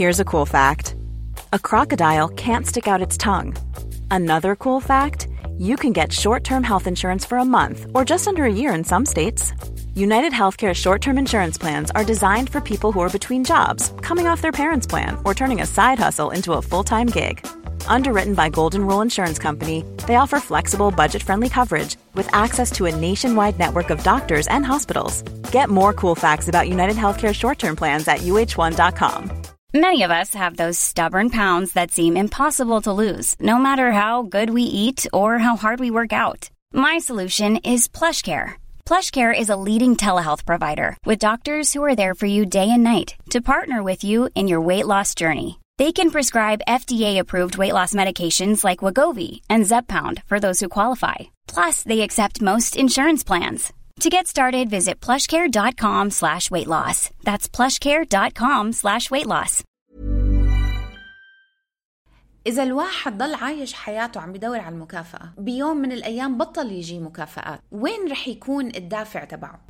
Here's a cool fact. A crocodile can't stick out its tongue. Another cool fact, you can get short-term health insurance for a month or just under a year in some states. United Healthcare short-term insurance plans are designed for people who are between jobs, coming off their parents' plan, or turning a side hustle into a full-time gig. Underwritten by Golden Rule Insurance Company, they offer flexible, budget-friendly coverage with access to a nationwide network of doctors and hospitals. Get more cool facts about United Healthcare short-term plans at uh1.com. Many of us have those stubborn pounds that seem impossible to lose, no matter how good we eat or how hard we work out. My solution is PlushCare. PlushCare is a leading telehealth provider with doctors who are there for you day and night to partner with you in your weight loss journey. They can prescribe FDA-approved weight loss medications like Wegovy and Zepbound for those who qualify. Plus, they accept most insurance plans. To get started, visit plushcare.com/weightloss. That's plushcare.com/weightloss. إذا الواحد ضل عايش حياته عم بدور على المكافأة، بيوم من الأيام بطل يجي مكافآت، وين رح يكون الدافع تبعه؟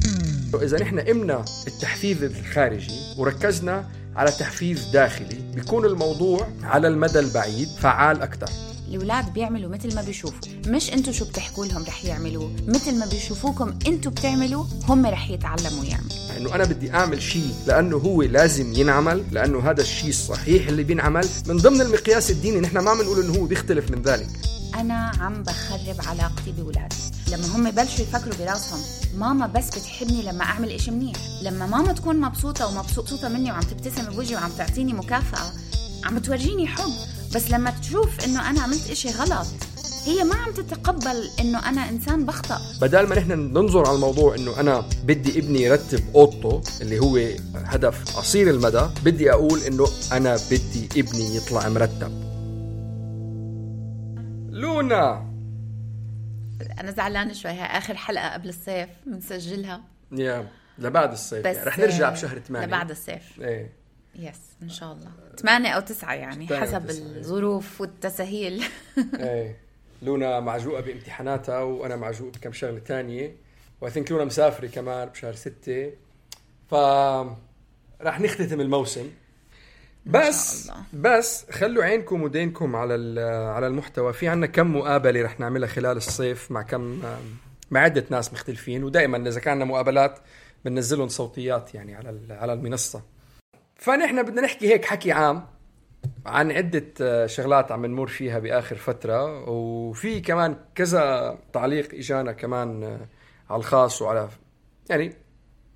إذا نحن قمنا التحفيز الخارجي وركزنا على تحفيز داخلي، بيكون الموضوع على المدى البعيد فعال أكتر. الأولاد بيعملوا مثل ما بيشوفوا، مش أنتوا شو بتحكوا لهم رح يعملوا، مثل ما بيشوفوكم أنتوا بتعملوا هم رح يتعلموا يعملوا. إنه أنا بدي أعمل شيء لأنه هو لازم ينعمل، لأنه هذا الشيء الصحيح اللي بينعمل من ضمن المقياس الديني. نحن ما بنقول إنه هو بيختلف من ذلك. أنا عم بخرب علاقتي بولادي لما هم بلشوا يفكروا براسهم ماما بس بتحبني لما أعمل إشي منيح. لما ماما تكون مبسوطة ومبسوطة مني وعم تبتسم بوجهي وعم تعطيني مكافأة، عم بتورجيني حب. بس لما تشوف إنه أنا عملت إشي غلط، هي ما عم تتقبل إنه أنا إنسان بخطأ. بدل ما نحن ننظر على الموضوع إنه أنا بدي ابني يرتب أوضته اللي هو هدف قصير المدى، بدي أقول إنه أنا بدي ابني يطلع مرتب. لونا، أنا زعلانة شوي، هاي آخر حلقة قبل الصيف بنسجلها. لبعد الصيف يعني. رح نرجع بشهر 8 لبعد الصيف. إيه يس إن شاء الله 8 أو 9 يعني حسب الظروف والتسهيل. إيه لونا معجوقة بامتحاناتها وأنا معجوق بكم شغلة تانية، وأثنك لونا مسافرة كمان بشهر 6، فرح نختتم الموسم. بس خلوا عينكم ودينكم على المحتوى. في عنا كم مقابلة رح نعملها خلال الصيف مع عدة ناس مختلفين، ودائما إذا كاننا مقابلات بننزلهم صوتيات يعني على المنصة. فنحن بدنا نحكي هيك حكي عام عن عدة شغلات عم نمر فيها بآخر فترة، وفي كمان كذا تعليق إجانا كمان على الخاص وعلى يعني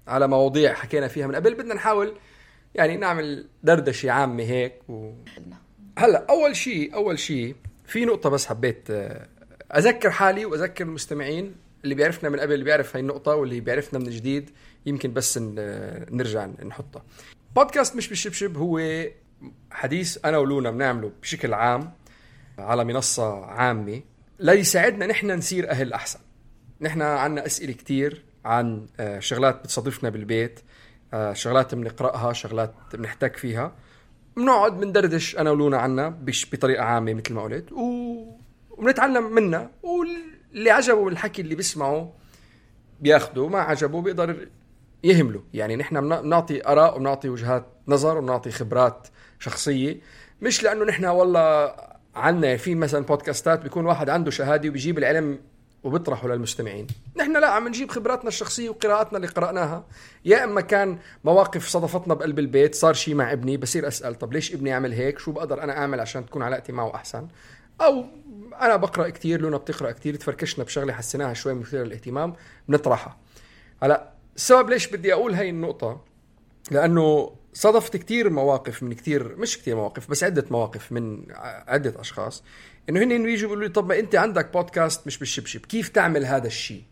على مواضيع حكينا فيها من قبل. بدنا نحاول يعني نعمل دردشة عامة هيك هلأ أول شيء في نقطة بس حبيت أذكر حالي وأذكر المستمعين اللي بيعرفنا من قبل، اللي بيعرف هاي النقطة واللي بيعرفنا من جديد يمكن بس نرجع نحطها. بودكاست مش بالشبشب هو حديث أنا ولونا بنعمله بشكل عام على منصة عامة ليساعدنا نحن نصير أهل أحسن. نحن عنا أسئلة كتير عن شغلات بتصادفنا بالبيت، شغلات بنقرأها، شغلات بنحتاج فيها، بنقعد بندردش أنا ولونا عنا بطريقة عامة مثل ما قلت، وبنتعلم منها. واللي عجبه الحكي اللي بيسمعه بياخده، ما عجبه بيقدر يهمله. يعني نحن بنعطي آراء وبنعطي وجهات نظر وبنعطي خبرات شخصية، مش لأنه نحن والله عنا في مثلا بودكاستات بيكون واحد عنده شهادة وبيجيب العلم وبيطرحه للمستمعين. نحن لا، عم نجيب خبراتنا الشخصية وقراءاتنا اللي قرأناها. يا إما كان مواقف صدفتنا بقلب البيت، صار شيء مع ابني بصير أسأل طب ليش ابني يعمل هيك، شو بقدر أنا أعمل عشان تكون علاقتي معه أحسن. أو أنا بقرأ كتير، لونا بتقرأ كتير، تفركشنا بشغلة حسيناها شوي مثيرة للاهتمام بنطرحها. هلا السبب ليش بدي أقول هاي النقطة، لأنه صدفت كتير مواقف من كتير، مش كتير مواقف بس عدة مواقف من عدة أشخاص إنه هن يجوا يقولوا لي طب ما أنت عندك بودكاست مش بالشبشب، كيف تعمل هذا الشيء؟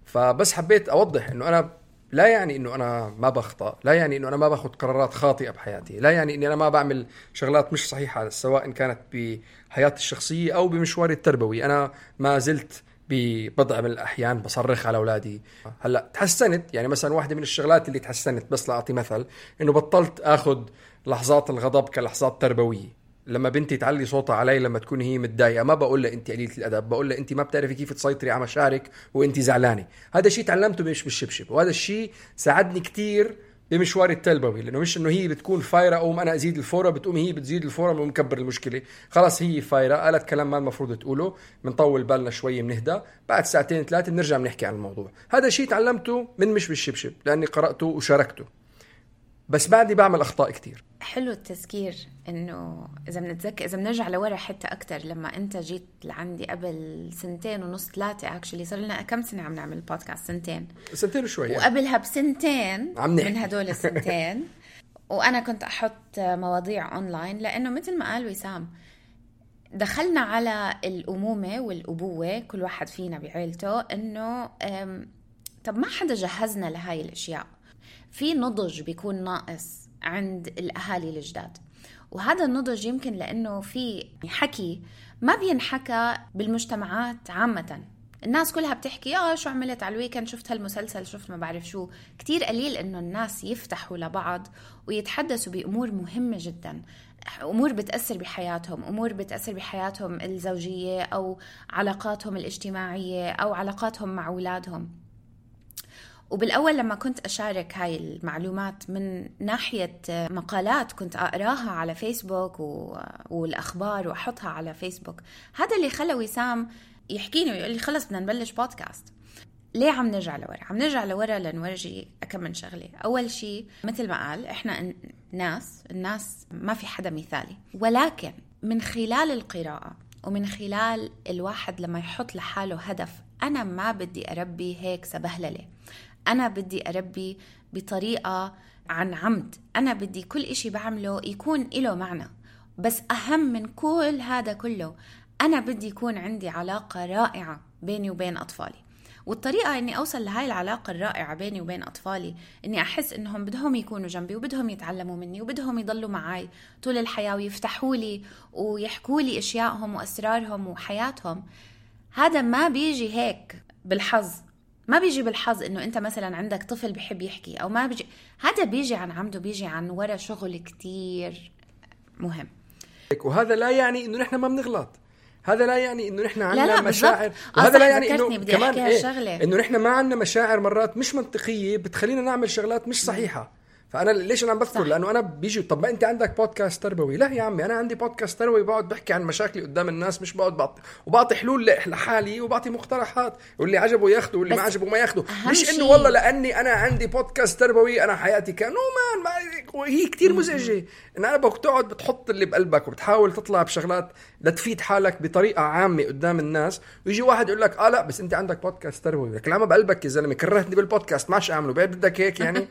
فبس حبيت أوضح إنه أنا لا يعني إنه أنا ما بخطأ، لا يعني إنه أنا ما باخد قرارات خاطئة بحياتي، لا يعني إني أنا ما بعمل شغلات مش صحيحة سواء إن كانت بحياتي الشخصية أو بمشواري التربوي. أنا ما زلت ببضع من الأحيان بصرخ على أولادي. هلأ تحسنت، يعني مثلا واحدة من الشغلات اللي تحسنت بس لأعطي مثل إنه بطلت أخذ لحظات الغضب كلحظات تربوية. لما بنتي تعلي صوتها علي لما تكون هي متضايقة، ما بقول لها أنت قليلة الأدب، بقول لها أنت ما بتعرفي كيف تسيطري على مشاعرك وأنت زعلانة. هذا الشيء تعلمته مش بالشبشب، وهذا الشيء ساعدني كتير بمشوار التربوي، لانه مش انه هي بتكون فايره او انا ازيد الفوره بتقوم هي بتزيد الفوره ومكبر المشكله. خلاص هي فايره قالت كلام ما المفروض تقوله، بنطول بالنا شوي بنهدى، بعد ساعتين ثلاثه بنرجع بنحكي عن الموضوع. هذا شيء تعلمته من مش بالشبشب لاني قراته وشاركته، بس بعدي بعمل اخطاء كتير. حلو التذكير انه اذا بنرجع لورا حتى اكتر، لما انت جيت لعندي قبل 2.5 3 اكشلي صار لنا كم سنه عم نعمل بودكاست؟ 2 وشوي وقبلها بسنتين من هدول السنتين وانا كنت احط مواضيع اونلاين، لانه مثل ما قال وسام دخلنا على الامومه والابوه كل واحد فينا بعيلته، انه طب ما حدا جهزنا لهاي الاشياء. في نضج بيكون ناقص عند الأهالي الجداد، وهذا النضج يمكن لأنه في حكي ما بينحكى بالمجتمعات عامة. الناس كلها بتحكي شو عملت على الويكند، شفت هالمسلسل، شفت ما بعرف شو. كتير قليل إنه الناس يفتحوا لبعض ويتحدثوا بأمور مهمة جدا، أمور بتأثر بحياتهم، أمور بتأثر بحياتهم الزوجية أو علاقاتهم الاجتماعية أو علاقاتهم مع أولادهم. وبالأول لما كنت أشارك هاي المعلومات من ناحية مقالات كنت أقراها على فيسبوك والأخبار وأحطها على فيسبوك، هذا اللي خلى وسام يحكيني ويقول لي خلص بدنا نبلش بودكاست. ليه عم نرجع لورا؟ عم نرجع لورا لنورجي كم من شغلة. أول شيء مثل ما قال إحنا الناس ما في حدا مثالي، ولكن من خلال القراءة ومن خلال الواحد لما يحط لحاله هدف، أنا ما بدي أربي هيك سبهللة، أنا بدي أربي بطريقة عن عمد، أنا بدي كل إشي بعمله يكون إله معنى. بس أهم من كل هذا كله أنا بدي يكون عندي علاقة رائعة بيني وبين أطفالي. والطريقة إني أوصل لهاي العلاقة الرائعة بيني وبين أطفالي إني أحس إنهم بدهم يكونوا جنبي وبدهم يتعلموا مني وبدهم يضلوا معي طول الحياة ويفتحوا لي ويحكوا لي إشيائهم وأسرارهم وحياتهم. هذا ما بيجي هيك بالحظ، ما بيجي بالحظ إنه أنت مثلا عندك طفل بيحب يحكي أو ما بيجي، هذا بيجي عن عمده، بيجي عن وراء شغل كتير مهم. وهذا لا يعني إنه نحن ما بنغلط، هذا لا يعني إنه نحن عندنا مشاعر، وهذا لا يعني إنه كمان إنه نحن ما عندنا مشاعر مرات مش منطقية بتخلينا نعمل شغلات مش صحيحة. فأنا ليش أنا عم بذكر؟ لأنه أنا بيجي طب ما أنت عندك بودكاست تربوي. لا يا عمي، أنا عندي بودكاست تربوي بقعد بحكي عن مشاكلي قدام الناس، مش بقعد وبعطي حلول لحالي وبعطي مقترحات، واللي عجبه ياخده واللي ما عجبه ما ياخده. مش إنه والله لأني أنا عندي بودكاست تربوي أنا حياتي كانوا هي كتير مزعجة إن أنا بقعد بتحط اللي بقلبك وبتحاول تطلع بشغلات لتفيد حالك بطريقة عامة قدام الناس، ويجي واحد يقول لك لا بس أنت عندك بودكاست تربوي. لك لا، ما بقلبك يا زلمة، كرهتني بالبودكاست ماش أعمله، بدك هيك يعني.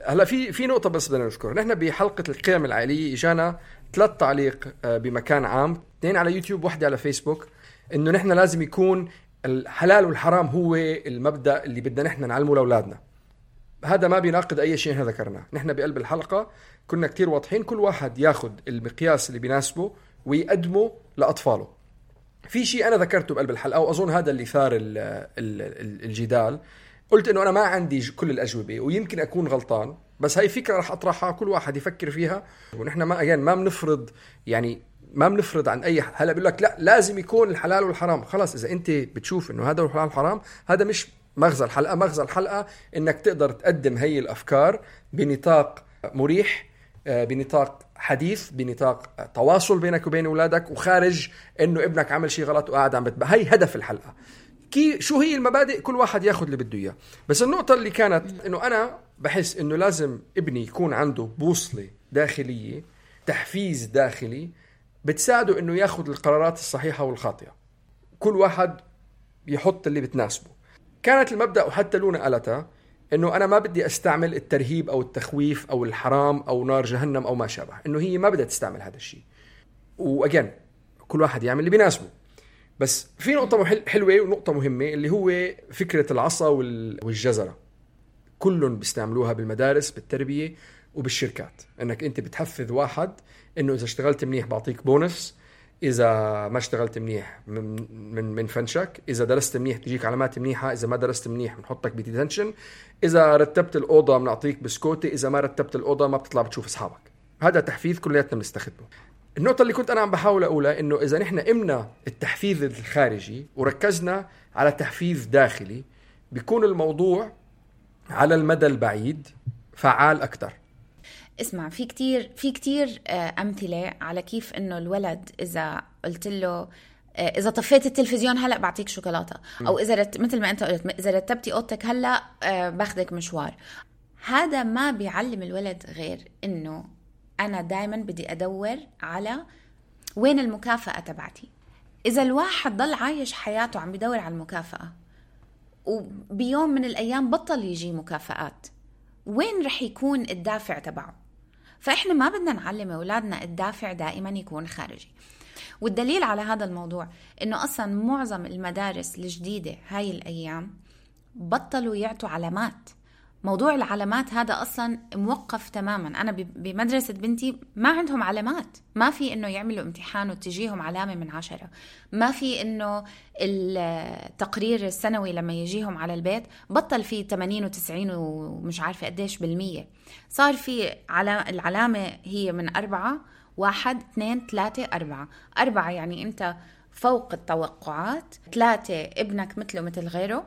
هلا في نقطة بس بدنا نذكر، نحن بحلقة القيم العائلية اجانا 3 تعليق بمكان عام، 2 على يوتيوب 1 على فيسبوك، انه نحن لازم يكون الحلال والحرام هو المبدأ اللي بدنا نحن نعلمه لأولادنا. هذا ما بيناقض اي شيء نحن ذكرناه. نحن بقلب الحلقة كنا كتير واضحين، كل واحد ياخد المقياس اللي بيناسبه ويقدمه لأطفاله. في شيء انا ذكرته بقلب الحلقة واظن هذا اللي ثار الجدال، قلت إنه أنا ما عندي كل الأجوبة ويمكن أكون غلطان، بس هاي فكرة رح أطرحها كل واحد يفكر فيها. ونحن ما بنفرض، يعني ما بنفرض عن أي هلا بيقول لك لا لازم يكون الحلال والحرام. خلاص إذا أنت بتشوف إنه هذا الحلال والحرام، هذا مش مغزى الحلقة. مغزى الحلقة إنك تقدر تقدم هاي الأفكار بنطاق مريح، بنطاق حديث، بنطاق تواصل بينك وبين أولادك، وخارج إنه ابنك عمل شيء غلط وقاعد عم هاي هدف الحلقة. شو هي المبادئ، كل واحد ياخد اللي بده اياه. بس النقطة اللي كانت انه انا بحس انه لازم ابني يكون عنده بوصلة داخلية، تحفيز داخلي بتساعده انه ياخد القرارات الصحيحة والخاطئة. كل واحد يحط اللي بتناسبه. كانت المبدأ وحتى لونا قالتها انه انا ما بدي استعمل الترهيب او التخويف او الحرام او نار جهنم او ما شابه، انه هي ما بدها تستعمل هذا الشيء. واجين كل واحد يعمل اللي بيناسبه. بس في نقطة حلوة ونقطة مهمة اللي هو فكرة العصا والجزرة. كلهم بيستعملوها بالمدارس بالتربية وبالشركات، انك انت بتحفز واحد انه اذا اشتغلت منيح بعطيك بونس، اذا ما اشتغلت منيح من فنشك، اذا درست منيح تجيك علامات منيحة، اذا ما درست منيح بنحطك بديتنشن، اذا رتبت الأوضة بنعطيك بسكوتة، اذا ما رتبت الأوضة ما بتطلع بتشوف اصحابك. هذا تحفيز كلياتنا بنستخدمه. النقطة اللي كنت أنا عم بحاول أقولها إنه إذا نحن قمنا التحفيز الخارجي وركزنا على تحفيز داخلي، بيكون الموضوع على المدى البعيد فعال أكتر. اسمع، في كتير أمثلة على كيف إنه الولد إذا قلت له إذا طفيت التلفزيون هلأ بعطيك شوكولاتة، أو إذا مثل ما أنت قلت إذا رتبتي أوضتك هلأ باخدك مشوار. هذا ما بيعلم الولد غير إنه أنا دايما بدي أدور على وين المكافأة تبعتي. إذا الواحد ضل عايش حياته عم بدور على المكافأة وبيوم من الأيام بطل يجي مكافآت، وين رح يكون الدافع تبعه؟ فإحنا ما بدنا نعلم أولادنا الدافع دائما يكون خارجي. والدليل على هذا الموضوع إنه أصلا معظم المدارس الجديدة هاي الأيام بطلوا يعطوا علامات. موضوع العلامات هذا أصلا موقف تماما. أنا بمدرسة بنتي ما عندهم علامات، ما في إنه يعملوا امتحان وتجيهم علامة من 10، ما في إنه التقرير السنوي لما يجيهم على البيت بطل فيه 80 و90 ومش عارفة قديش بالمية. صار في العلامة هي من 4 1 2 3 4. 4 يعني أنت فوق التوقعات، 3 ابنك مثله مثل غيره،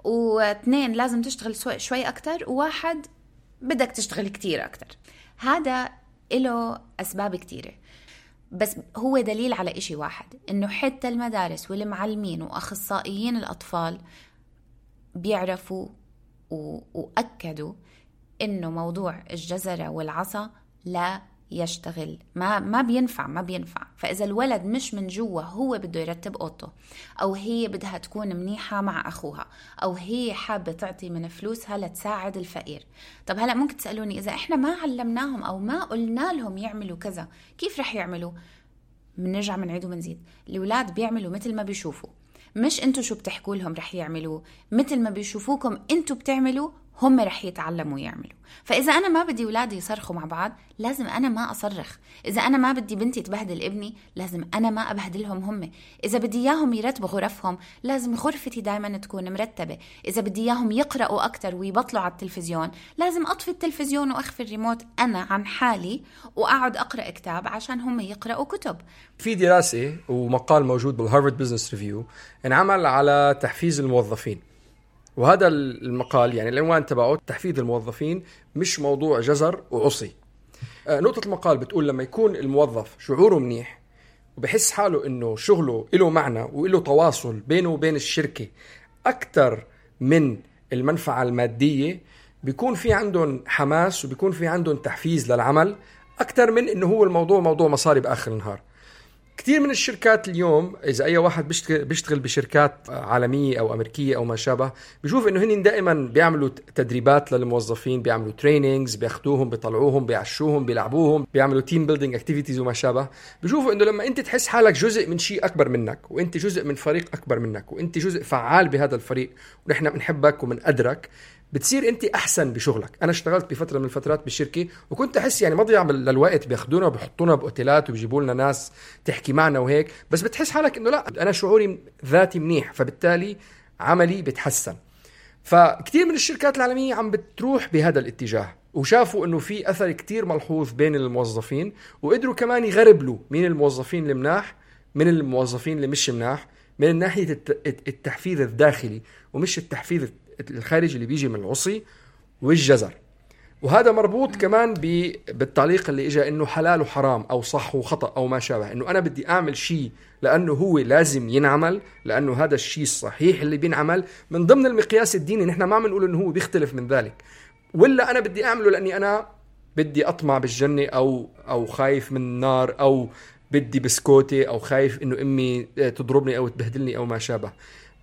و2 لازم تشتغل شوي أكتر، و1 بدك تشتغل كتير أكتر. هذا له أسباب كتيرة، بس هو دليل على إشي واحد، إنه حتى المدارس والمعلمين وأخصائيين الأطفال بيعرفوا وأكدوا إنه موضوع الجزرة والعصا لا يشتغل، ما بينفع. فإذا الولد مش من جوا هو بده يرتب أوضته، أو هي بدها تكون منيحة مع أخوها، أو هي حابة تعطي من فلوسها لتساعد الفقير. طب هلأ ممكن تسألوني إذا إحنا ما علمناهم أو ما قلنا لهم يعملوا كذا كيف رح يعملوا؟ منرجع منعيد ومنزيد. الأولاد بيعملوا مثل ما بيشوفوا، مش أنتوا شو بتحكوا لهم رح يعملوا. مثل ما بيشوفوكم أنتوا بتعملوا هم رح يتعلموا يعملوا. فإذا أنا ما بدي أولادي يصرخوا مع بعض لازم أنا ما أصرخ. إذا أنا ما بدي بنتي تبهدل ابني لازم أنا ما أبهدلهم هم. إذا بدي إياهم يرتبوا غرفهم لازم غرفتي دايما تكون مرتبة. إذا بدي إياهم يقرأوا أكتر ويبطلوا على التلفزيون لازم أطفي التلفزيون وأخفي الريموت أنا عن حالي وأقعد أقرأ كتاب عشان هم يقرأوا كتب. في دراسة ومقال موجود بالهارفارد بيزنس ريفيو انعمل على تحفيز الموظفين، وهذا المقال يعني العنوان تبعه تحفيز الموظفين مش موضوع جزر وعصي. نقطة المقال بتقول لما يكون الموظف شعوره منيح وبحس حاله انه شغله له معنى وله تواصل بينه وبين الشركة أكتر من المنفعة المادية، بيكون في عندهم حماس وبيكون في عندهم تحفيز للعمل أكتر من انه هو الموضوع موضوع مصاري بآخر النهار. كتير من الشركات اليوم إذا أي واحد بيشتغل بشركات عالمية أو أمريكية أو ما شابه بيشوف إنه هن دائما بيعملوا تدريبات للموظفين، بيعملوا ترينينجز، بياخدوهم بيطلعوهم بيعشوهم بيلعبوهم، بيعملوا تيم بيلدينج اكتيفيتيز وما شابه. بيشوفوا إنه لما أنت تحس حالك جزء من شيء أكبر منك، وأنت جزء من فريق أكبر منك، وأنت جزء فعال بهذا الفريق ونحن بنحبك ومنقدرك، بتصير انت احسن بشغلك. انا اشتغلت بفتره من الفترات بالشركه وكنت احس يعني مضيع للوقت، بياخذونا وبيحطونا باوتيلات وبيجيبوا لنا ناس تحكي معنا وهيك، بس بتحس حالك انه لا انا شعوري ذاتي منيح، فبالتالي عملي بتحسن. فكتير من الشركات العالميه عم بتروح بهذا الاتجاه، وشافوا انه في اثر كتير ملحوظ بين الموظفين، وقدروا كمان يغربلوا مين الموظفين المناح من الموظفين اللي مش مناح من ناحيه التحفيز الداخلي ومش التحفيز الخارجي اللي بيجي من العصي والجزر. وهذا مربوط كمان بالتعليق اللي اجى انه حلال وحرام او صح وخطأ او ما شابه، انه انا بدي اعمل شيء لانه هو لازم ينعمل، لانه هذا الشيء الصحيح اللي بينعمل من ضمن المقياس الديني. نحن ما بنقول انه هو بيختلف من ذلك، ولا انا بدي اعمله لاني انا بدي اطمع بالجنة او خايف من النار، او بدي بسكوتي، او خايف انه امي تضربني او تبهدلني او ما شابه.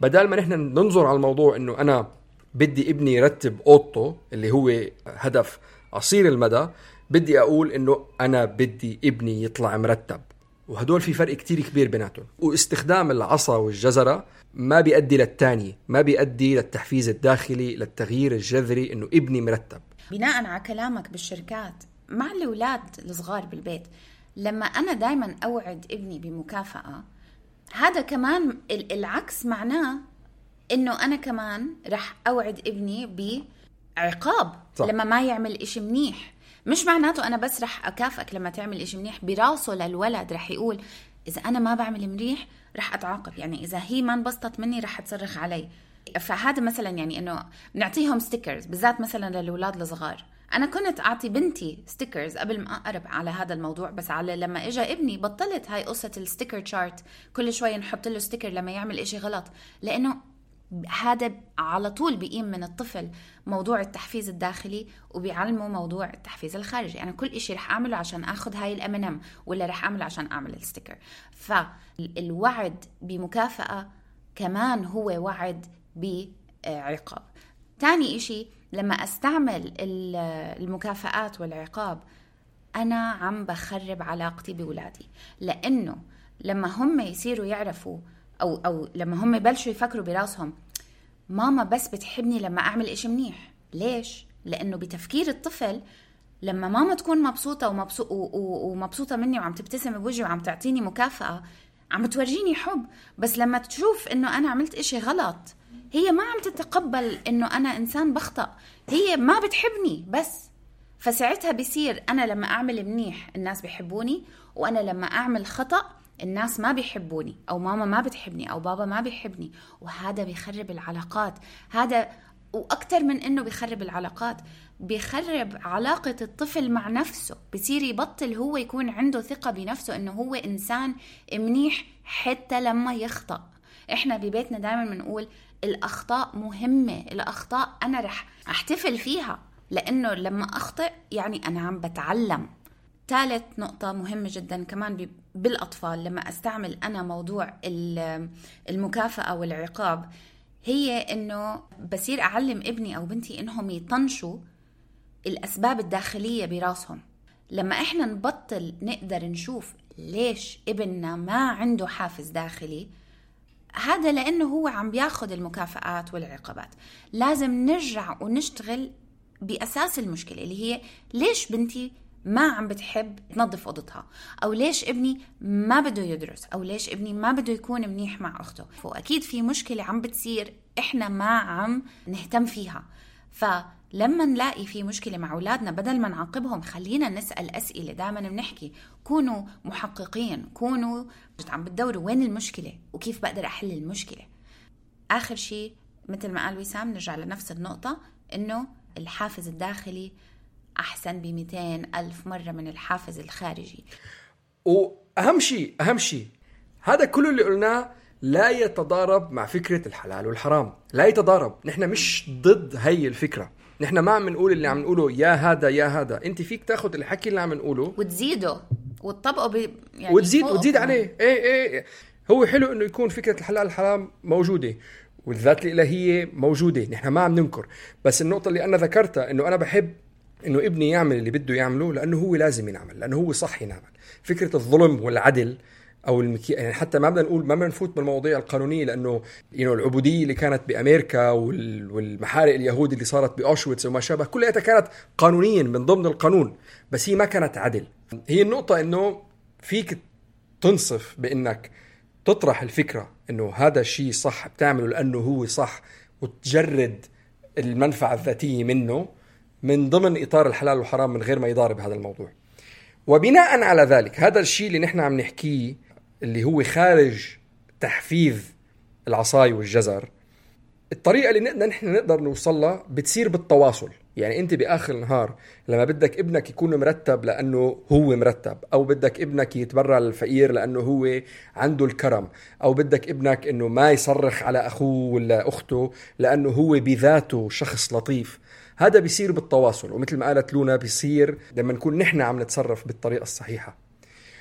بدل ما نحن ننظر على الموضوع انه انا بدي ابني يرتب اوضته اللي هو هدف قصير المدى، بدي اقول انه انا بدي ابني يطلع مرتب. وهدول في فرق كتير كبير بيناتهم. واستخدام العصا والجزرة ما بيؤدي للتاني، ما بيؤدي للتحفيز الداخلي، للتغيير الجذري انه ابني مرتب. بناء على كلامك بالشركات مع الأولاد الصغار بالبيت، لما أنا دايما أوعد ابني بمكافأة، هذا كمان العكس معناه إنه أنا كمان رح أوعد ابني بعقاب لما ما يعمل إشي منيح. مش معناته أنا بس رح أكافئك لما تعمل إشي منيح، براسه للولد رح يقول إذا أنا ما بعمل منيح رح أتعاقب، يعني إذا هي ما انبسطت مني رح تصرخ علي. فهذا مثلا يعني انه نعطيهم ستيكرز بالذات مثلا للأولاد الصغار. انا كنت اعطي بنتي ستيكرز قبل ما اقرب على هذا الموضوع، بس على لما اجى ابني بطلت هاي قصة الستيكر تشارت، كل شوي نحط له ستيكر لما يعمل اشي غلط، لانه هذا على طول بيقيم من الطفل موضوع التحفيز الداخلي وبيعلمه موضوع التحفيز الخارجي. أنا كل إشي رح أعمله عشان أخذ هاي الأمنم ولا رح أعمله عشان أعمل الستيكر. فالوعد بمكافأة كمان هو وعد بعقاب. تاني إشي لما أستعمل المكافآت والعقاب أنا عم بخرب علاقتي بولادي، لأنه لما هم يصيروا يعرفوا أو لما هم بلشوا يفكروا براسهم ماما بس بتحبني لما أعمل إشي منيح. ليش؟ لأنه بتفكير الطفل لما ماما تكون مبسوطة ومبسوطة مني وعم تبتسم بوجهي وعم تعطيني مكافأة عم تورجيني حب، بس لما تشوف إنه أنا عملت إشي غلط هي ما عم تتقبل إنه أنا إنسان بخطأ، هي ما بتحبني بس. فساعتها بيصير أنا لما أعمل منيح الناس بيحبوني، وأنا لما أعمل خطأ الناس ما بيحبوني، أو ماما ما بتحبني، أو بابا ما بيحبني. وهذا بيخرب العلاقات. هذا وأكتر من إنه بيخرب العلاقات، بيخرب علاقة الطفل مع نفسه. بيصير يبطل هو يكون عنده ثقة بنفسه إنه هو إنسان منيح حتى لما يخطأ. إحنا ببيتنا دائما بنقول الأخطاء مهمة، الأخطاء أنا رح أحتفل فيها، لأنه لما أخطئ يعني أنا عم بتعلم. ثالث نقطة مهمة جدا كمان بالأطفال لما أستعمل أنا موضوع المكافأة والعقاب، هي إنه بصير أعلم ابني أو بنتي إنهم يطنشوا الأسباب الداخلية براسهم. لما إحنا نبطل نقدر نشوف ليش ابننا ما عنده حافز داخلي، هذا لأنه هو عم بياخد المكافآت والعقابات. لازم نرجع ونشتغل بأساس المشكلة اللي هي ليش بنتي ما عم بتحب تنظف أوضتها، أو ليش ابني ما بده يدرس، أو ليش ابني ما بده يكون منيح مع أخته. فأكيد في مشكلة عم بتصير إحنا ما عم نهتم فيها. فلما نلاقي في مشكلة مع أولادنا بدل ما نعاقبهم خلينا نسأل أسئلة. دائما بنحكي كونوا محققين، كونوا عم بتدوروا وين المشكلة وكيف بقدر أحل المشكلة. آخر شيء مثل ما قال وسام نرجع لنفس النقطة، إنه الحافز الداخلي أحسن ب200,000 مرة من الحافز الخارجي. وأهم شيء هذا كله اللي قلناه لا يتضارب مع فكرة الحلال والحرام، لا يتضارب. نحن مش ضد هاي الفكرة، نحن ما عم نقول اللي عم نقوله يا هذا. انت فيك تاخد الحكي اللي عم نقوله وتزيده وتطبقه يعني وتزيد عليه. ايه هو حلو انه يكون فكرة الحلال والحرام موجودة والذات الإلهية موجودة، نحن ما عم ننكر. بس النقطة اللي أنا ذكرتها إنه أنا بحب إنه ابني يعمل اللي بده يعمله لأنه هو لازم ينعمل، لأنه هو صح ينعمل. فكرة الظلم والعدل أو يعني حتى ما بدنا نقول ما بدنا نفوت بالمواضيع القانونية، لأنه العبودية اللي كانت بأمريكا والمحارق اليهود اللي صارت بأوشويتس وما شابه كلها كانت قانونيا من ضمن القانون، بس هي ما كانت عدل. هي النقطة إنه فيك تنصف بإنك تطرح الفكرة إنه هذا الشيء صح بتعمله لأنه هو صح، وتجرد المنفعة الذاتية منه من ضمن إطار الحلال والحرام من غير ما يضارب هذا الموضوع. وبناء على ذلك هذا الشيء اللي نحن عم نحكيه اللي هو خارج تحفيز العصاي والجزر، الطريقة اللي نحن نقدر نوصلها بتصير بالتواصل. يعني أنت بآخر النهار لما بدك ابنك يكون مرتب لأنه هو مرتب، أو بدك ابنك يتبرع للفقير لأنه هو عنده الكرم، أو بدك ابنك أنه ما يصرخ على أخوه ولا أخته لأنه هو بذاته شخص لطيف، هذا بيصير بالتواصل. ومثل ما قالت لونا بيصير لما نكون نحن عم نتصرف بالطريقة الصحيحة.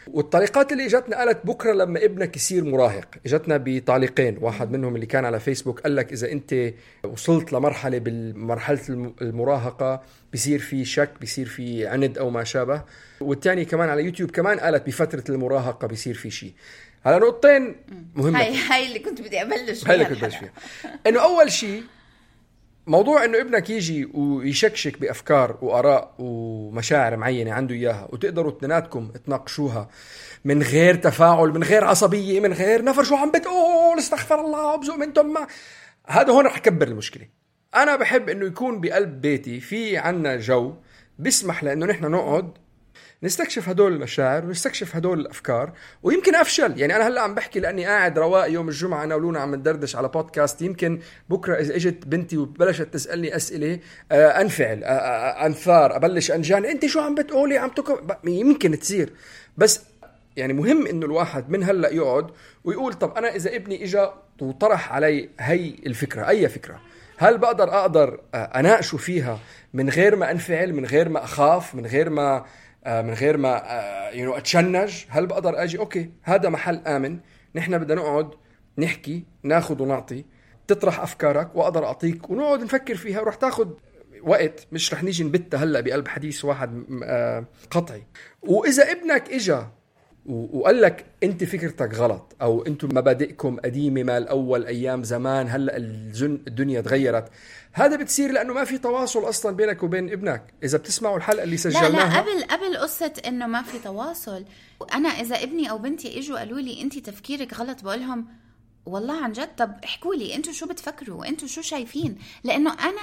والطريقات اللي اجتنا قالت بكرة لما ابنك يصير مراهق، اجتنا بطالقين، واحد منهم اللي كان على فيسبوك قال لك إذا أنت وصلت لمرحلة بالمرحلة المراهقة بيصير في شك، بيصير في عند أو ما شابه. والتاني كمان على يوتيوب كمان قالت بففترة المراهقة بيصير في شيء. على نقطتين مهمة، هاي اللي كنت بدي أبلش فيها. إنه أول شيء موضوع إنه ابنك يجي ويشكشك بأفكار وآراء ومشاعر معينة عنده إياها، وتقدروا اثنيناتكم تناقشوها من غير تفاعل، من غير عصبية، من غير نفر شو عم بتقول استغفر الله وبزق من ثم، هذا هون رح يكبر المشكلة. أنا بحب إنه يكون بقلب بيتي في عنا جو بيسمح لأنه نحن نقعد نستكشف هدول المشاعر ونستكشف هدول الأفكار. ويمكن أفشل، يعني أنا هلأ عم بحكي لأني قاعد رواق يوم الجمعة أنا ولونا عم ندردش على بودكاست، يمكن بكرة إذا إجت بنتي وبلشت تسألني أسئلة أنفعل، أنثار، أبلش أنجان، أنت شو عم بتقولي، عم يمكن تصير. بس يعني مهم إنه الواحد من هلأ يقعد ويقول طب أنا إذا ابني إجا وطرح علي هي الفكرة، أي فكرة، هل بقدر أناقشه فيها من غير ما أنفعل، من غير ما أخاف، من غير ما أتشنج؟ هل بقدر أجي أوكي هذا محل آمن، نحن بدنا نقعد نحكي، ناخد ونعطي، تطرح أفكارك وأقدر أعطيك ونقعد نفكر فيها، ورح تاخد وقت، مش رح نيجي نبتها هلأ بقلب حديث واحد قطعي. وإذا ابنك إجا وقال لك انت فكرتك غلط، او انتم مبادئكم قديمه ما الاول ايام زمان، هلا الدنيا تغيرت، هذا بتصير لانه ما في تواصل اصلا بينك وبين ابنك. اذا بتسمعوا الحلقه اللي سجلناها، لا قبل قصه انه ما في تواصل، انا اذا ابني او بنتي اجوا قالوا لي انت تفكيرك غلط، بقولهم والله عن جد طب احكوا لي انتوا شو بتفكروا، انتوا شو شايفين، لانه انا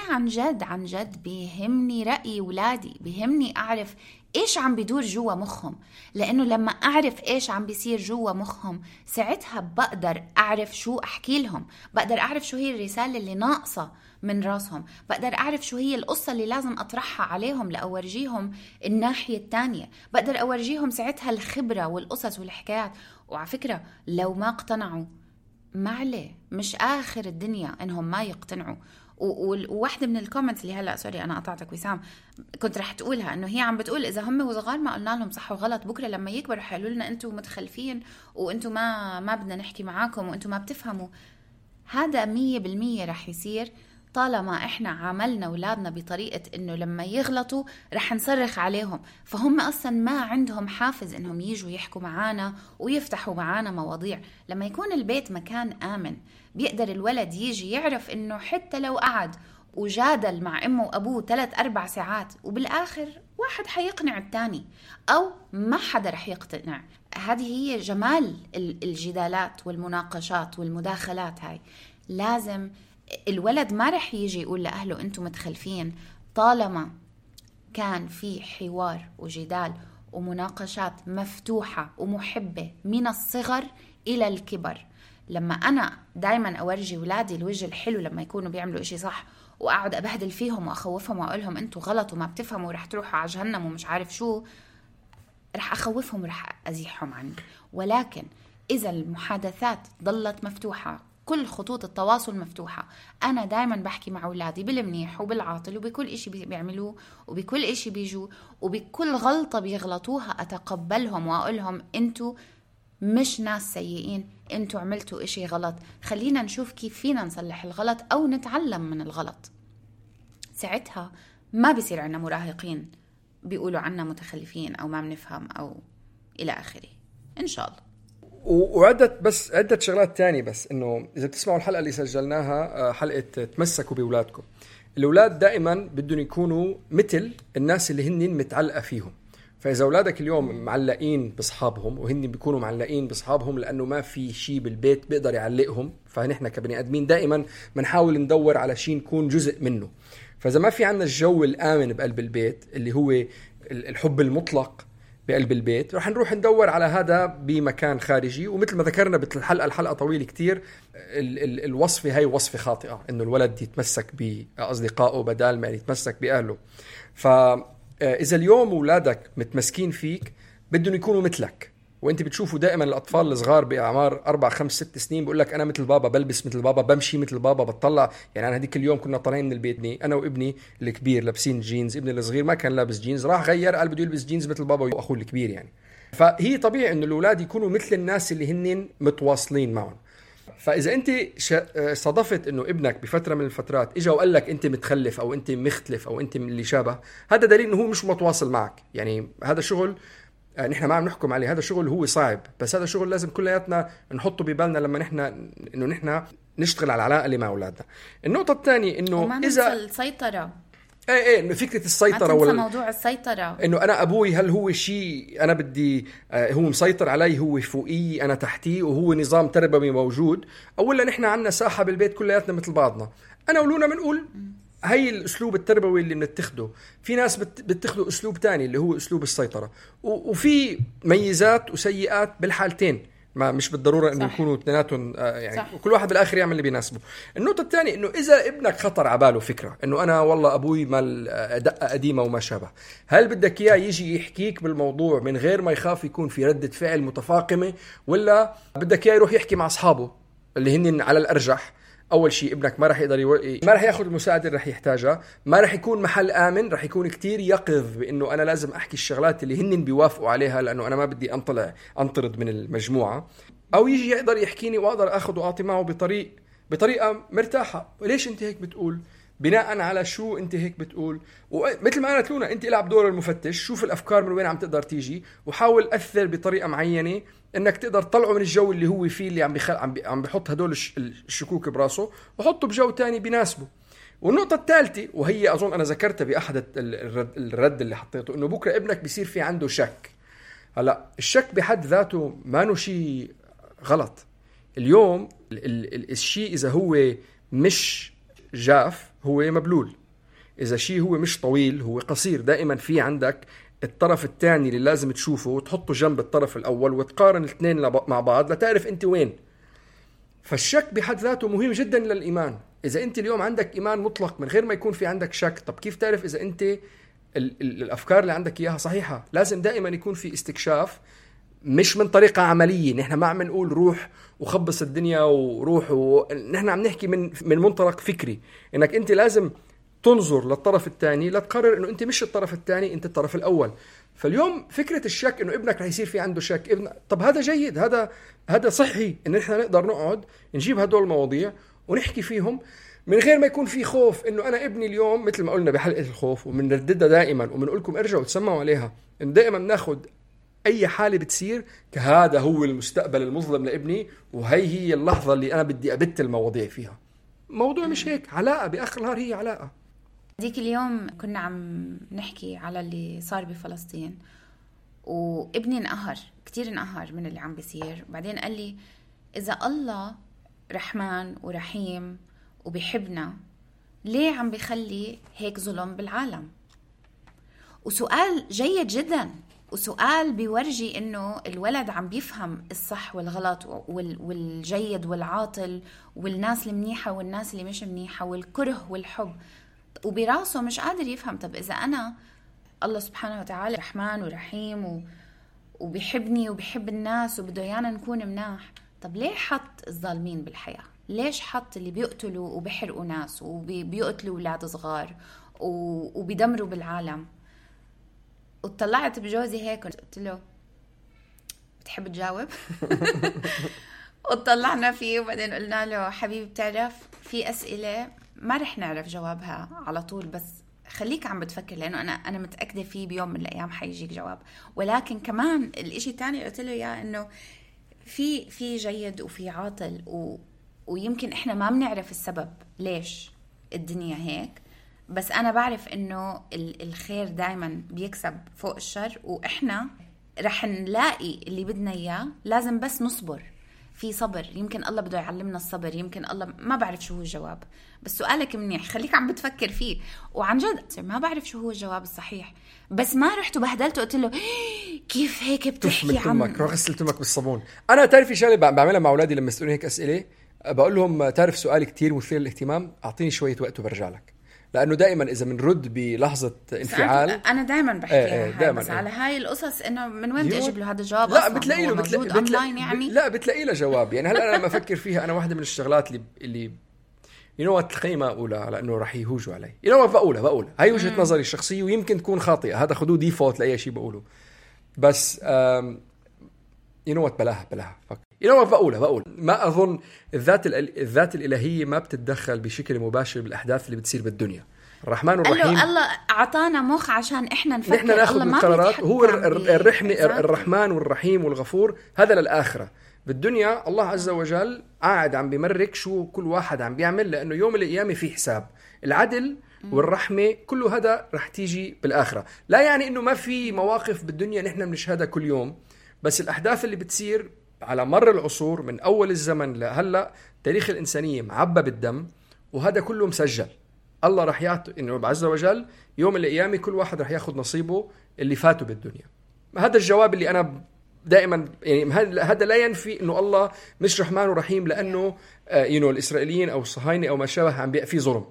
عن جد بيهمني راي اولادي، بيهمني اعرف ايش عم بيدور جوا مخهم، لانه لما اعرف ايش عم بيصير جوا مخهم ساعتها بقدر اعرف شو احكي لهم، بقدر اعرف شو هي الرساله اللي ناقصه من راسهم، بقدر اعرف شو هي القصه اللي لازم اطرحها عليهم لاورجيهم الناحيه الثانيه، بقدر اورجيهم ساعتها الخبره والقصص والحكايات. وعلى فكره لو ما اقتنعوا ما عليه، مش آخر الدنيا إنهم ما يقتنعوا. وواحدة من الكومنتس اللي هلأ سوري أنا قطعتك وسام كنت رح تقولها، إنه هي عم بتقول إذا هم وصغار ما قلنا لهم صح وغلط، بكرة لما يكبروا حيقولوا لنا أنتوا متخلفين وأنتوا ما بدنا نحكي معاكم وأنتوا ما بتفهموا. هذا 100% رح يصير طالما إحنا عاملنا أولادنا بطريقة إنه لما يغلطوا رح نصرخ عليهم، فهم أصلا ما عندهم حافز إنهم يجوا يحكوا معانا ويفتحوا معانا مواضيع. لما يكون البيت مكان آمن بيقدر الولد يجي يعرف إنه حتى لو قعد وجادل مع أمه وأبوه 3-4 ساعات وبالآخر واحد حيقنع التاني أو ما حدا رح يقتنع. هذه هي جمال الجدالات والمناقشات والمداخلات. هاي لازم الولد ما رح يجي يقول لأهله أنتم متخلفين طالما كان في حوار وجدال ومناقشات مفتوحة ومحبة من الصغر إلى الكبر. لما أنا دايما أورجي ولادي الوجه الحلو لما يكونوا بيعملوا إشي صح وأقعد أبهدل فيهم وأخوفهم وأقولهم أنتوا غلط وما بتفهموا ورح تروحوا على جهنم ومش عارف شو، رح أخوفهم ورح أزيحهم عني. ولكن إذا المحادثات ضلت مفتوحة، كل خطوط التواصل مفتوحة، أنا دايما بحكي مع أولادي بالمنيح وبالعاطل وبكل إشي بيعملوه وبكل إشي بيجوا وبكل غلطة بيغلطوها أتقبلهم وأقولهم أنتوا مش ناس سيئين، أنتوا عملتوا إشي غلط، خلينا نشوف كيف فينا نصلح الغلط أو نتعلم من الغلط. ساعتها ما بيصير عنا مراهقين بيقولوا عنا متخلفين أو ما بنفهم أو إلى آخره إن شاء الله. عدة شغلات تانية، بس إنه إذا بتسمعوا الحلقة اللي سجلناها حلقة تمسكوا بأولادكم، الأولاد دائما بدهم يكونوا مثل الناس اللي هن متعلقة فيهم. فإذا أولادك اليوم معلقين بصحابهم وهن بيكونوا معلقين بصحابهم لأنه ما في شيء بالبيت بيقدر يعلقهم، فنحن كبني آدمين دائما بنحاول ندور على شيء نكون جزء منه. فإذا ما في عنا الجو الآمن بقلب البيت اللي هو الحب المطلق بقلب البيت، رح نروح ندور على هذا بمكان خارجي. ومثل ما ذكرنا الحلقة طويلة كتير، الوصفة هاي وصفة خاطئة، إنه الولد يتمسك بأصدقائه بدال ما يتمسك بأهله. فإذا اليوم أولادك متمسكين فيك بدهم يكونوا مثلك، وانت بتشوفوا دائما الأطفال الصغار بأعمار 4 5 6 سنين بقول لك أنا مثل بابا، بلبس مثل بابا، بمشي مثل بابا، بتطلع. يعني أنا هديك اليوم كنا طالعين من البيت أنا وابني الكبير لابسين جينز، ابني الصغير ما كان لابس جينز، راح غير قال بده يلبس جينز مثل بابا وأخوه الكبير. يعني فهي طبيعي إنه الأولاد يكونوا مثل الناس اللي هنن متواصلين معهم. فإذا أنت صادفت إنه ابنك بفترة من الفترات إجا وقال لك أنت متخلف أو أنت مختلف أو أنت من اللي شابه، هذا دليل إنه هو مش متواصل معك. يعني هذا شغل نحن ما عم نحكم عليه، هذا شغل هو صعب، بس هذا شغل لازم كلياتنا نحطه ببالنا لما نحن نشتغل على العلاقة اللي مع أولادنا. النقطة الثانية إنه إذا السيطرة، فكرة السيطرة ولا موضوع السيطرة، إنه أنا أبوي هل هو شيء أنا بدي هو مسيطر علي، هو فوقي أنا تحتي، وهو نظام تربوي موجود، أولا نحن عنا ساحة بالبيت كلياتنا مثل بعضنا. أنا ولونا بنقول هاي الأسلوب التربوي اللي بنتخذه. في ناس بتخذوا أسلوب تاني اللي هو أسلوب السيطرة، وفي ميزات وسيئات بالحالتين، ما مش بالضرورة انه يكونوا اثنيناتهم يعني صح. وكل واحد بالاخر يعمل اللي بيناسبه. النقطة الثانية انه اذا ابنك خطر عباله فكرة انه انا والله ابوي مال دقة قديمة وما شابه، هل بدك اياه يجي يحكيك بالموضوع من غير ما يخاف يكون في ردة فعل متفاقمة، ولا بدك اياه يروح يحكي مع اصحابه اللي هن على الارجح؟ اول شيء ابنك ما راح يقدر ما راح ياخذ المساعده اللي راح يحتاجها، ما راح يكون محل امن، راح يكون كتير يقظ بانه انا لازم احكي الشغلات اللي هن بيوافقوا عليها لانه انا ما بدي انطرد من المجموعه، او يجي يقدر يحكيني واقدر اخذ واعطي معه بطريقه مرتاحه. ليش انت هيك بتقول؟ بناء على شو انت هيك بتقول؟ ومثل ما قالت لونا، انت العب دور المفتش، شوف الافكار من وين عم تقدر تيجي، وحاول اثر بطريقه معينه انك تقدر تطلعه من الجو اللي هو فيه، اللي عم بيحط هدول الشكوك براسه، وحطه بجو تاني بيناسبه. والنقطه الثالثه، وهي اظن انا ذكرتها باحد الرد اللي حطيته، انه بكره ابنك بيصير في عنده شك. هلا الشك بحد ذاته ما انه شيء غلط. اليوم الشيء اذا هو مش جاف هو مبلول، إذا شيء هو مش طويل هو قصير. دائما في عندك الطرف الثاني اللي لازم تشوفه وتحطه جنب الطرف الأول وتقارن الاثنين مع بعض لتعرف أنت وين. فالشك بحد ذاته مهم جدا للإيمان. إذا أنت اليوم عندك إيمان مطلق من غير ما يكون في عندك شك، طب كيف تعرف إذا أنت الأفكار اللي عندك إياها صحيحة؟ لازم دائما يكون في استكشاف، مش من طريقة عملية. نحن ما عم نقول روح وخبص الدنيا وروح، نحن عم نحكي من منطلق فكري، انك انت لازم تنظر للطرف الثاني لتقرر انه انت مش الطرف الثاني، انت الطرف الاول. فاليوم فكرة الشك انه ابنك رح يصير في عنده شك، طب هذا جيد، هذا صحي ان نحن نقدر نقعد نجيب هدول المواضيع ونحكي فيهم من غير ما يكون في خوف. انه انا ابني اليوم مثل ما قلنا بحلقة الخوف وبنرددها دائما وبنقول لكم ارجعوا تسمعوا عليها، انه دائما ناخد اي حالة بتصير كهذا هو المستقبل المظلم لابني، وهي اللحظة اللي انا بدي ابت المواضيع فيها. موضوع مش هيك، علاقة باخر النهار، هي علاقة. ديك اليوم كنا عم نحكي على اللي صار بفلسطين، وابني كتير انقهر من اللي عم بيصير. بعدين قال لي اذا الله رحمن ورحيم وبيحبنا، ليه عم بيخلي هيك ظلم بالعالم؟ وسؤال جيد جدا، وسؤال بيورجي انه الولد عم بيفهم الصح والغلط والجيد والعاطل والناس المنيحة والناس اللي مش منيحة والكره والحب، وبراسه مش قادر يفهم. طب اذا انا الله سبحانه وتعالى رحمن ورحيم وبيحبني وبيحب الناس وبده يانا نكون مناح، طب ليه حط الظالمين بالحياة؟ ليش حط اللي بيقتلوا وبيحرقوا ناس وبيقتلوا أولاد صغار وبيدمروا بالعالم؟ وطلعت بجوزي هيك قلت له بتحب تجاوب؟ وطلعنا فيه، وبعدين قلنا له حبيبي بتعرف في أسئلة ما رح نعرف جوابها على طول، بس خليك عم بتفكر، لأنه أنا متأكدة فيه بيوم من الأيام حيجيك جواب. ولكن كمان الإشي الثاني قلت له يا إنه في جيد وفي عاطل، ويمكن إحنا ما بنعرف السبب ليش الدنيا هيك، بس أنا بعرف إنه الخير دايما بيكسب فوق الشر، وإحنا رح نلاقي اللي بدنا إياه. لازم بس نصبر، في صبر. يمكن الله بده يعلمنا الصبر، يمكن الله ما بعرف شو هو الجواب، بس سؤالك منيح، خليك عم بتفكر فيه. وعن جد ما بعرف شو هو الجواب الصحيح، بس ما رحت وبهدلته قلت له كيف هيك بتحكي عن غسلت امك بالصابون. انا تعرفي شغله بعملها مع اولادي لما يسالوني هيك اسئله، بقول لهم تعرف سؤال كتير مثير للاهتمام، اعطيني شويه وقت وبرجع لك. لانه دائما اذا بنرد بلحظه انفعال، انا دائما بحكيها بس على هاي القصص انه من وين بدي اجيب له هذا الجواب؟ لا بتلاقي له يعني لا بتلاقي له جواب. يعني هلا انا لما افكر فيها، انا واحده من الشغلات اللي ينوت القيمه اولى لانه راح يهوجوا علي، بقولها هاي وجهه نظري الشخصيه، ويمكن تكون خاطئه، هذا خذوه ديفولت لاي شيء بقوله، بس بلاها بقول ما أظن الذات الإلهية ما بتتدخل بشكل مباشر بالأحداث اللي بتصير بالدنيا. الرحمن والرحيم، الله أعطانا مخ عشان إحنا نفكر، نحن ناخذ القرارات. هو الرحمن والرحيم والغفور، هذا للآخرة. بالدنيا الله عز وجل قاعد عم بيمرك شو كل واحد عم بيعمل، لأنه يوم القيامة في حساب. العدل والرحمة كل هذا رح تيجي بالآخرة. لا يعني إنه ما في مواقف بالدنيا نحن بنشهدها كل يوم، بس الأحداث اللي بتصير على مر العصور من أول الزمن لهلأ، تاريخ الإنسانية معبى بالدم، وهذا كله مسجل. الله رح يعطي إنه عز وجل يوم القيامة كل واحد رح ياخد نصيبه اللي فاته بالدنيا. هذا الجواب اللي أنا دائما يعني هذا لا ينفي إنه الله مش رحمن ورحيم لأنه الإسرائيليين أو الصهاينة أو ما شابه عم بيبقى فيه ظلم.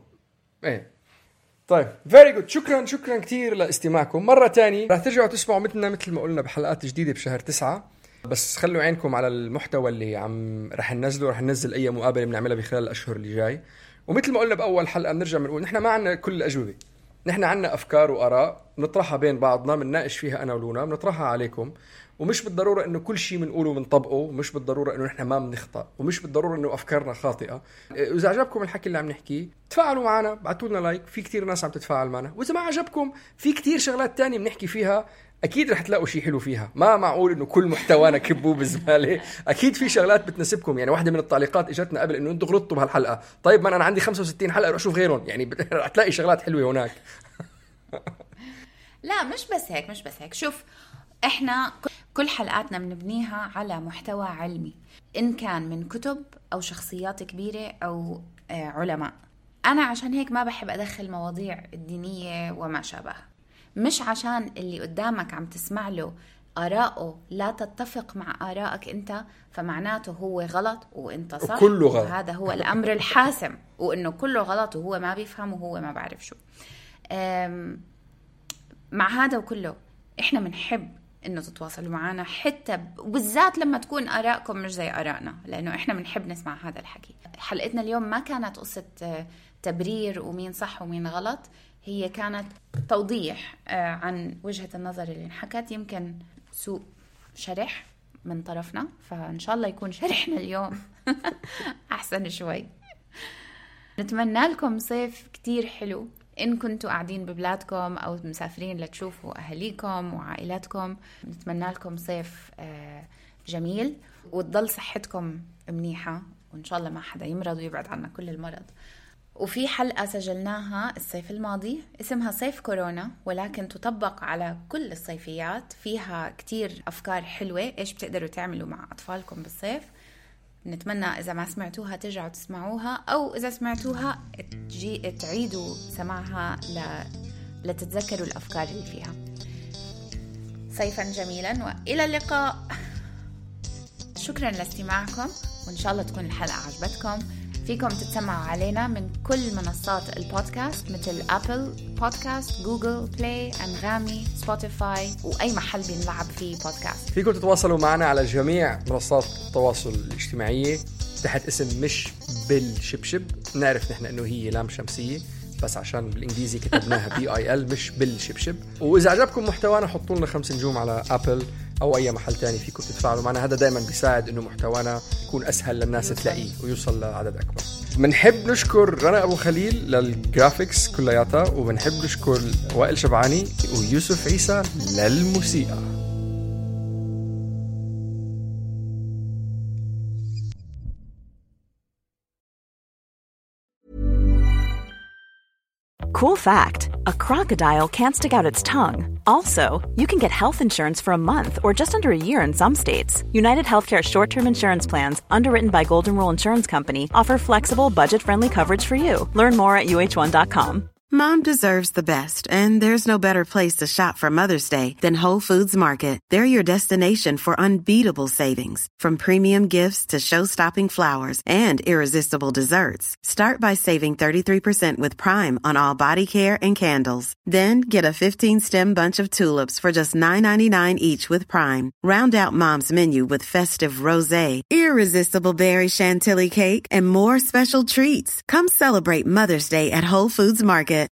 طيب very good. شكرا كتير لاستماعكم. مرة تاني رح ترجعوا تسمعوا مثل ما قلنا بحلقات جديدة بشهر 9. بس خلوا عينكم على المحتوى اللي رح ننزل أي مقابلة بنعملها بخلال الأشهر اللي جاي. ومثل ما قلنا بأول حلقة بنرجع بنقول نحن ما عنا كل الأجوبة، نحن عنا أفكار وآراء نطرحها بين بعضنا، بنناقش فيها أنا ولونا، بنطرحها عليكم. ومش بالضرورة إنه كل شيء بنقوله بنطبقه، ومش بالضرورة إنه نحن ما بنخطأ، ومش بالضرورة إنه أفكارنا خاطئة. إذا عجبكم الحكي اللي عم نحكيه تفاعلوا معنا، بعتوا لنا لايك، في كتير ناس عم تتفاعل معنا. وإذا ما عجبكم في كتير شغلات تانية بنحكي فيها، أكيد رح تلاقوا شيء حلو فيها. ما معقول إنه كل محتوانا كبوه بالزبالة، أكيد في شغلات بتناسبكم. يعني واحدة من التعليقات إجتنا قبل إنه أنتوا غلطتوا بهالحلقة. طيب ما أنا عندي 65 حلقة روح أشوف غيرهم، يعني رح تلاقي شغلات حلوة هناك. لا مش بس هيك. شوف احنا كل حلقاتنا بنبنيها على محتوى علمي، إن كان من كتب أو شخصيات كبيرة أو علماء. أنا عشان هيك ما بحب أدخل مواضيع الدينية وما شابه، مش عشان اللي قدامك عم تسمع له آراءه لا تتفق مع آرائك أنت فمعناته هو غلط وأنت صح، كله غلط. هذا هو الأمر الحاسم، وإنه كله غلط وهو ما بيفهم وهو ما بعرف شو. مع هذا وكله إحنا منحب إنه تتواصلوا معنا، حتى بالذات لما تكون آراءكم مش زي آرائنا، لأنه إحنا بنحب نسمع هذا الحكي. حلقتنا اليوم ما كانت قصة تبرير ومين صح ومين غلط، هي كانت توضيح عن وجهة النظر اللي انحكت، يمكن سوء شرح من طرفنا، فإن شاء الله يكون شرحنا اليوم أحسن شوي. نتمنى لكم صيف كتير حلو إن كنتوا قاعدين ببلادكم أو مسافرين لتشوفوا أهليكم وعائلاتكم. نتمنى لكم صيف جميل وتضل صحتكم منيحة، وإن شاء الله ما حدا يمرض ويبعد عنا كل المرض. وفي حلقة سجلناها الصيف الماضي اسمها صيف كورونا، ولكن تطبق على كل الصيفيات، فيها كتير أفكار حلوة إيش بتقدروا تعملوا مع أطفالكم بالصيف. نتمنى إذا ما سمعتوها ترجعوا تسمعوها، أو إذا سمعتوها تعيدوا سماعها لتتذكروا الأفكار اللي فيها. صيفا جميلا وإلى اللقاء. شكرا لاستماعكم، وإن شاء الله تكون الحلقة عجبتكم. فيكم تتسمعوا علينا من كل منصات البودكاست مثل أبل بودكاست، جوجل بلاي، أنغامي، سبوتيفاي، وأي محل بنلعب فيه بودكاست. فيكم تتواصلوا معنا على جميع منصات التواصل الاجتماعية تحت اسم مش بالشبشب. نعرف نحن انه هي لام شمسية، بس عشان بالانجليزي كتبناها BIL مش بالشبشب. واذا عجبكم محتوانا حطوا لنا 5 نجوم على أبل او اي محل تاني فيكم تتفاعلوا معنا. هذا دائما بيساعد انه محتوانا يكون اسهل للناس تلاقيه ويوصل لعدد اكبر. بنحب نشكر رنا ابو خليل للجرافيكس كلياتها، وبنحب نشكر وائل شبعاني ويوسف عيسى للموسيقى. Cool fact, a crocodile can't stick out its tongue. Also, you can get health insurance for a month or just under a year in some states. United Healthcare short-term insurance plans, underwritten by Golden Rule Insurance Company, offer flexible, budget-friendly coverage for you. Learn more at uh1.com. Mom deserves the best, and there's no better place to shop for Mother's Day than Whole Foods Market. They're your destination for unbeatable savings, from premium gifts to show-stopping flowers and irresistible desserts. Start by saving 33% with Prime on all body care and candles. Then get a 15-stem bunch of tulips for just $9.99 each with Prime. Round out Mom's menu with festive rosé, irresistible berry chantilly cake, and more special treats. Come celebrate Mother's Day at Whole Foods Market.